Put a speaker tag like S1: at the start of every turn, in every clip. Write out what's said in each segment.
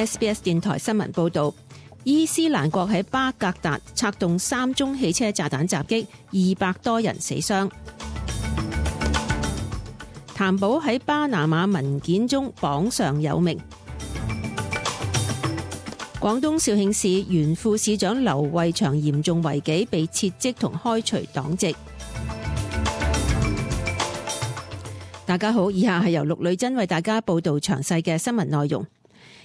S1: SBS 電台新聞報導，伊斯蘭國喺巴格達策動3宗汽車炸彈襲擊，200多人死傷。譚寶喺巴拿馬文件中榜上有名。廣東肇慶市原副市長劉慧祥嚴重違紀，被撤職同開除黨籍。大家好，以下係由陸女珍為大家報道詳細嘅新聞內容。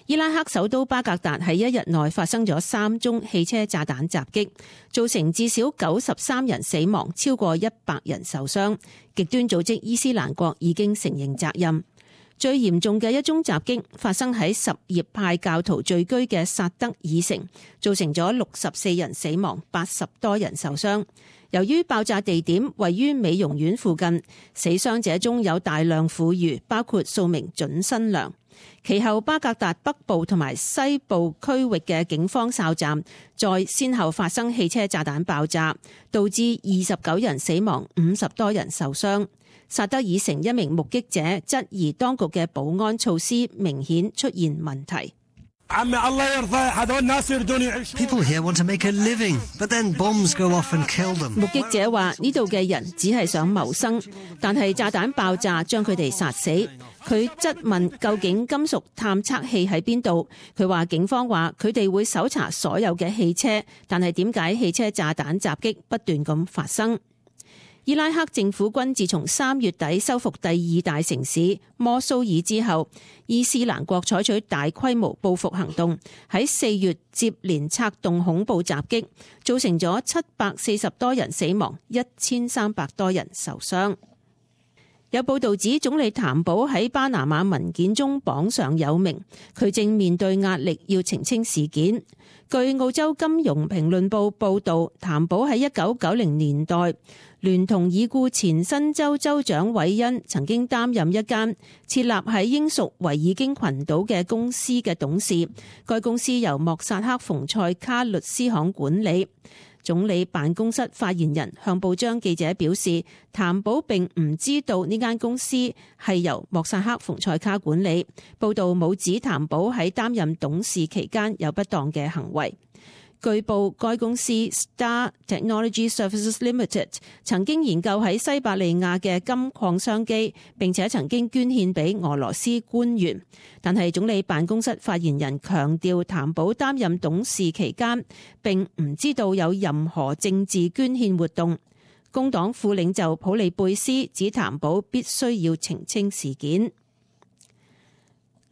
S1: 伊拉克首都巴格達喺一日內發生咗3宗汽車炸彈襲擊，造成至少93人死亡，超過100人受傷。極端組織伊斯蘭國已經承認責任。最嚴重嘅一宗襲擊發生喺什葉派教徒聚居嘅薩德爾城，造成咗64人死亡，80多人受傷。由於爆炸地點位於美容院附近，死傷者中有大量婦孺，包括數名準新娘。其後巴格達北部同埋西部區域嘅警方哨站再先後發生汽車炸彈爆炸，導致29人死亡，50多人受傷。薩德爾城一名目擊者質疑當局嘅保安措施明顯出現問題。
S2: People here want to make a living, but then bombs go off and kill them.
S1: 目擊者話：呢度嘅人只係想謀生，但係炸彈爆炸將佢哋殺死。佢質問究竟金屬探測器喺邊度？佢話警方話佢哋會搜查所有嘅汽車，但係點解汽車炸彈襲擊不斷咁發生？伊拉克政府軍自從3月底收復第2大城市摩蘇爾之後，伊斯蘭國採取大規模報復行動，喺4月接連策動恐怖襲擊，造成咗740多人死亡，1300多人受傷。有報道指總理譚寶喺巴拿馬文件中榜上有名，佢正面對壓力要澄清事件。據澳洲金融評論報報導，譚寶喺1990年代聯同已故前新州州長韋恩曾經擔任一間設立喺英屬維爾京群島嘅公司嘅董事，該公司由莫薩克馮塞卡律師行管理。總理辦公室發言人向報章記者表示，譚寶並唔知道呢間公司係由莫薩克馮塞卡管理。報道冇指譚寶喺擔任董事期間有不當嘅行為。據報，該公司 Star Technology Services Limited 曾經研究喺西伯利亞嘅金礦商機，並且曾經捐獻俾俄羅斯官員。但係總理辦公室發言人強調，譚寶擔任董事期間並唔知道有任何政治捐獻活動。工黨副領袖普利貝斯指譚寶必須要澄清事件。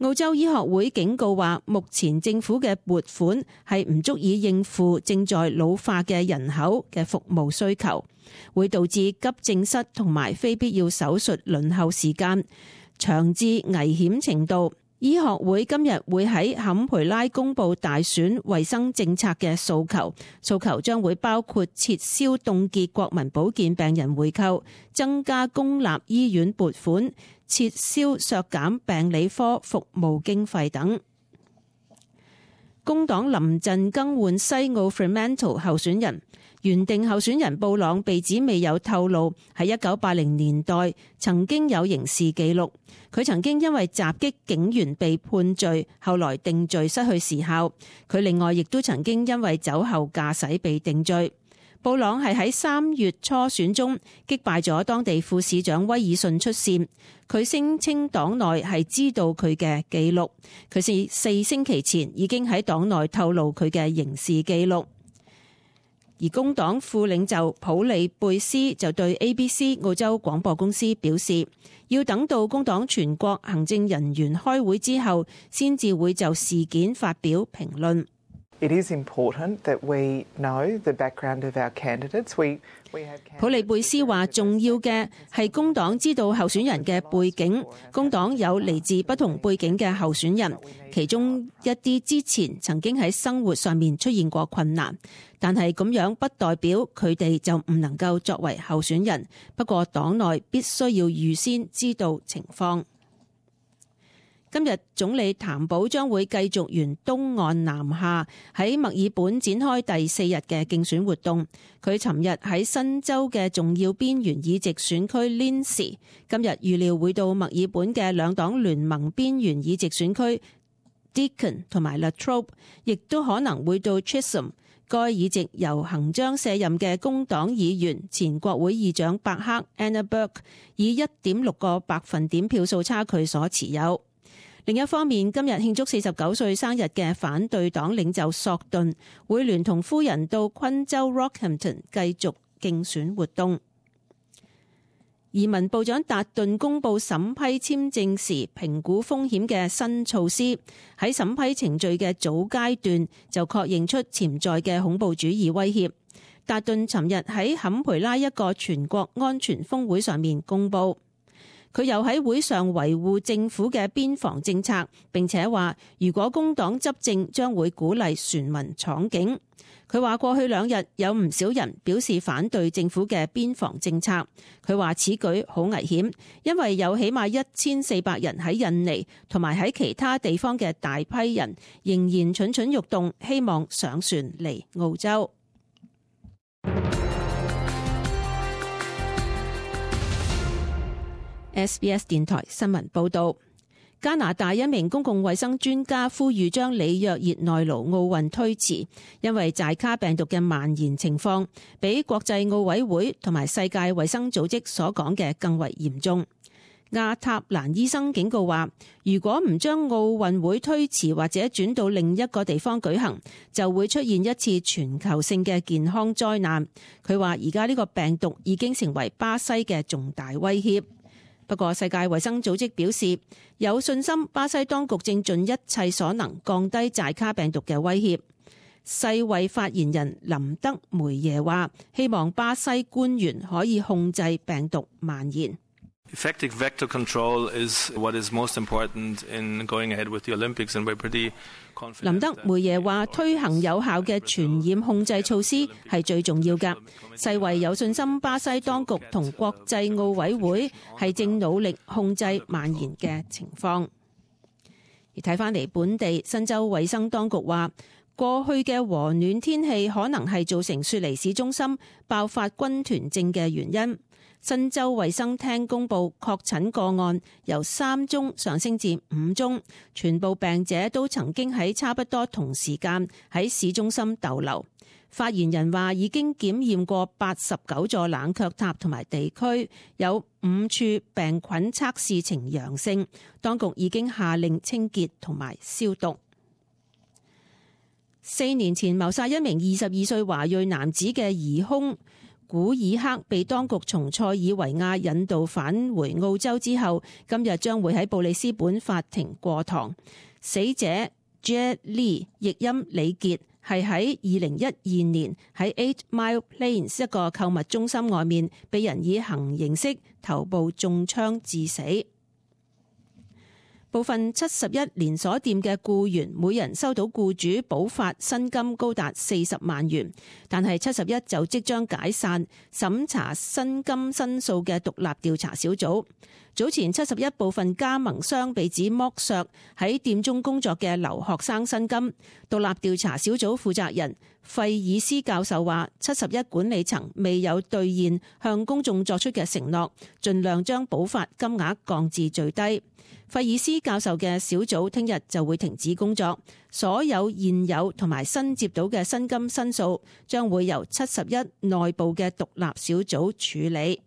S1: 澳洲醫學會警告話，目前政府嘅撥款係唔足以應付正在老化嘅人口嘅服務需求，會導致急症室同埋非必要手術輪候時間長至危險程度。醫學會今日會喺坎培拉公布大選衛生政策嘅訴求將會包括撤銷凍結國民保健病人回扣、增加公立醫院撥款、撤銷削減病理科服務經費等。工黨臨陣更換西澳 Fremantle 候選人，原定候選人布朗被指未有透露喺1980年代曾經有刑事記錄。佢曾經因為襲擊警員被判罪，後來定罪失去時效。佢另外亦都曾經因為酒後駕駛被定罪。布朗係喺3月初選中擊敗咗當地副市長威爾遜出線。佢聲稱黨內係知道佢嘅記錄，佢是4星期前已經喺黨內透露佢嘅刑事記錄。而工黨副領袖普利貝斯就對 ABC 澳洲廣播公司表示，要等到工黨全國行政人員開會之後，先至會就事件發表評論。
S3: It is important that we know the background of our candidates.
S1: 普利貝斯話，重要嘅係工黨知道候選人嘅背景。工黨有嚟自不同背景嘅候選人，其中一啲之前曾經喺生活上面出現過困難，但係咁樣不代表佢哋就唔能夠作為候選人。不過黨內必須要預先知道情況。今日總理譚寶將會繼續沿東岸南下，喺墨爾本展開第4日嘅競選活動。佢尋日喺新州嘅重要邊緣議席選區 Lindsay， 今日預料會到墨爾本嘅兩黨聯盟邊緣議席選區 Deakin 同埋 Latrobe， 亦都可能會到 Chisholm。該議席由行將卸任嘅工黨議員前國會議長伯克 Anna Burke 以 1.6 個百分點票數差距所持有。另一方面，今日慶祝49歲生日嘅反對黨領袖索頓會聯同夫人到昆州 Rockhampton 繼續競選活動。移民部長達頓公布審批簽證時評估風險嘅新措施，喺審批程序嘅早階段就確認出潛在嘅恐怖主義威脅。達頓尋日喺坎培拉一個全國安全峰會上面公布，佢又喺會上維護政府嘅邊防政策，並且話如果工黨執政將會鼓勵船民闖境。佢話過去2日有唔少人表示反對政府嘅邊防政策。佢話此舉好危險，因為有起碼1400人喺印尼同埋喺其他地方嘅大批人仍然蠢蠢欲動，希望上船嚟澳洲。SBS 電台新聞報道。加拿大一名公共衛生專家呼籲將里約熱內盧奧運推遲，因為寨卡病毒嘅蔓延情況比國際奧委會同埋世界衛生組織所講嘅更為嚴重。亞塔蘭醫生警告話，如果唔將奧運會推遲或者轉到另一個地方舉行，就會出現一次全球性嘅健康災難。佢話而家呢個病毒已經成為巴西嘅重大威脅。不過世界衛生組織表示有信心巴西當局正盡一切所能降低寨卡病毒嘅威脅。世衛發言人林德梅耶話，希望巴西官員可以控制病毒蔓延。
S4: Effective vector control is what is most important in going ahead with the Olympics, and we're pretty confident.
S1: 林德梅耶話，推行有效嘅傳染控制措施係最重要㗎。世衛有信心巴西當局同國際奧委會係正努力控制蔓延嘅情況。而睇返嚟本地，新州衛生當局話，過去嘅和暖天氣可能係造成雪梨市中心爆發軍團症嘅原因。新州衛生廳公布確診個案由3宗上升至5宗，全部病者都曾經喺差不多同時間喺市中心逗留。發言人話已經檢驗過89座冷卻塔同埋地區，有5處病菌測試呈陽性，當局已經下令清潔同埋消毒。4年前謀殺一名22歲華裔男子嘅疑兇古爾克被當局從塞爾維亞引渡返回澳洲之後，今日將會喺布里斯本法庭過堂。死者 Jed Lee 譯音李傑係喺2012年喺 8 Mile Plains 一個購物中心外面被人以行刑式頭部中槍致死。部分71連鎖店嘅僱員每人收到僱主補發薪金高達40萬元，但係71就即將解散審查薪金申訴嘅獨立調查小組。早前71部分加盟商被指剝削喺店中工作嘅留學生薪金。獨立調查小組負責人費爾斯教授話，71管理層未有兌現向公眾作出嘅承諾，盡量將補發金額降至最低。費爾斯教授嘅小組聽日就會停止工作，所有現有同埋新接到嘅薪金申訴將會由71內部嘅獨立小組處理。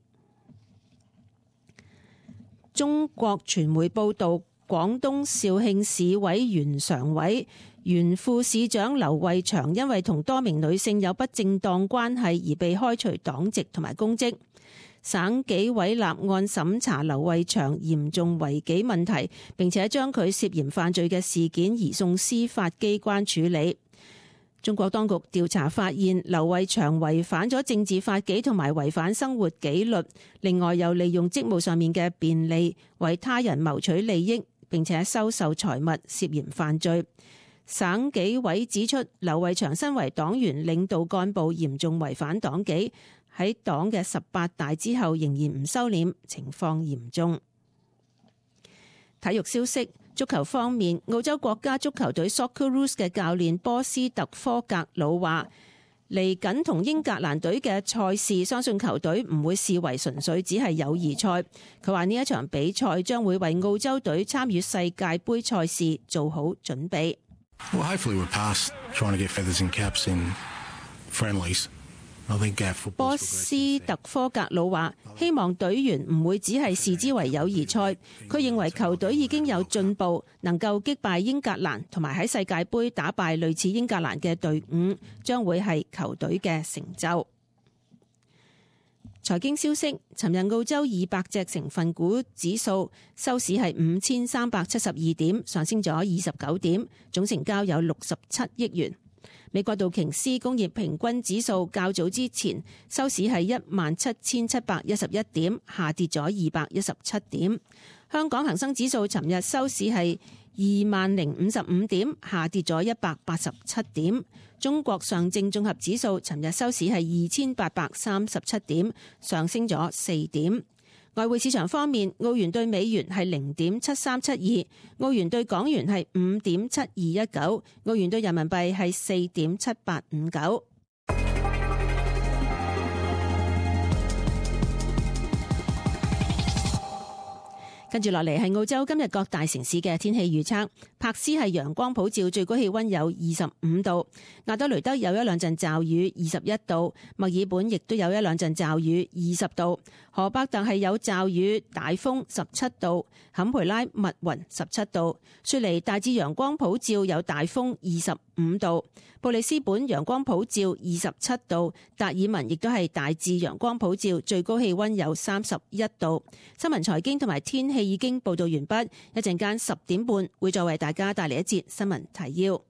S1: 中國傳媒報道，廣東肇慶市委原常委、原副市長劉慧祥因為同多名女性有不正當關係而被開除黨籍同埋公職。省紀委立案審查劉慧祥嚴重違紀問題，並且將佢涉嫌犯罪嘅事件移送司法機關處理。中國當局調查發現，劉慧祥違反咗政治法紀同埋違反生活紀律，另外又利用職務上面嘅便利為他人謀取利益，並且收受財物，涉嫌犯罪。省紀委指出，劉慧祥身為黨員領導幹部，嚴重違反黨紀，喺黨嘅18大之後仍然唔收斂，情況嚴重。體育消息，足球方面，澳洲國家足球隊 Socceroos 嘅教練波斯特科格魯話，嚟緊同英格蘭隊嘅賽事，相信球隊唔會視為純粹只係友誼賽。佢話呢一場比賽將會為澳洲隊參與世界盃賽事做好準備。
S5: Well, hopefully we're past trying to get feathers and caps in friendlies.
S1: 波斯特科格魯話：希望隊員唔會只係視之為友誼賽。佢認為球隊已經有進步，能夠擊敗英格蘭，同埋喺世界盃打敗類似英格蘭嘅隊伍，將會係球隊嘅成就。財經消息：尋日澳洲200隻成分股指數收市係5372點，上升咗29點，總成交有67億元。美國道瓊斯工業平均指數較早之前收市係17711點，下跌咗217點。香港恒生指數尋日收市係20055點，下跌咗187點。中國上證綜合指數尋日收市係2837點，上升咗4點。外匯市場方面，澳元對美元係0.7372，澳元對港元係5.7219，澳元對人民幣係4.7859。跟住落嚟係澳洲今日各大城市嘅天氣預測。柏斯係陽光普照，最高氣溫有25度；亞德雷德有一兩陣驟雨，21度；墨爾本亦都有一兩陣驟雨，20度；荷伯特係有驟雨大風，17度；坎培拉密雲17度；雪梨大致陽光普照有大風，25度；布里斯本陽光普照27度；達爾文亦都係大致陽光普照，最高氣溫有31度。新聞財經同埋天氣已經報道完畢，一陣間10點半會再為大家帶嚟一節新聞提要。